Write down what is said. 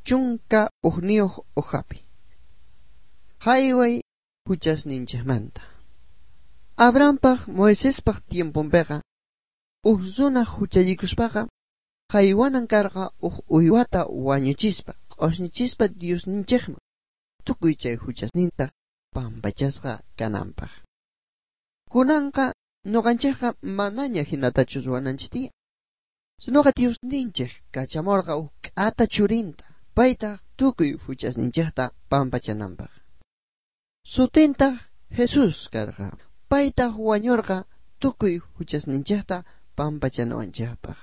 11 hojapi. Jayway huchasninchikmanta. Abrahampaj Moisespaj tiemponpiqa uj runa huchallikuspaqa jaywanan karqa uj uywata wañuchispa q'osñichispa Diosninchikman tukuy chay huchasninta pampachasqa kananpaq. Kunanqa nuqanchikqa manaña hinatachu ruwananchik tiyan. Sinoqa Diosninchik kachamurqa uj k'ata churinta paytaq tukuy huchasninchikta pampachananpaq. Sutintaq Jesús karqa. Paytaq wañurqa tukuy huchasninchikta pampachanawanchikpaq.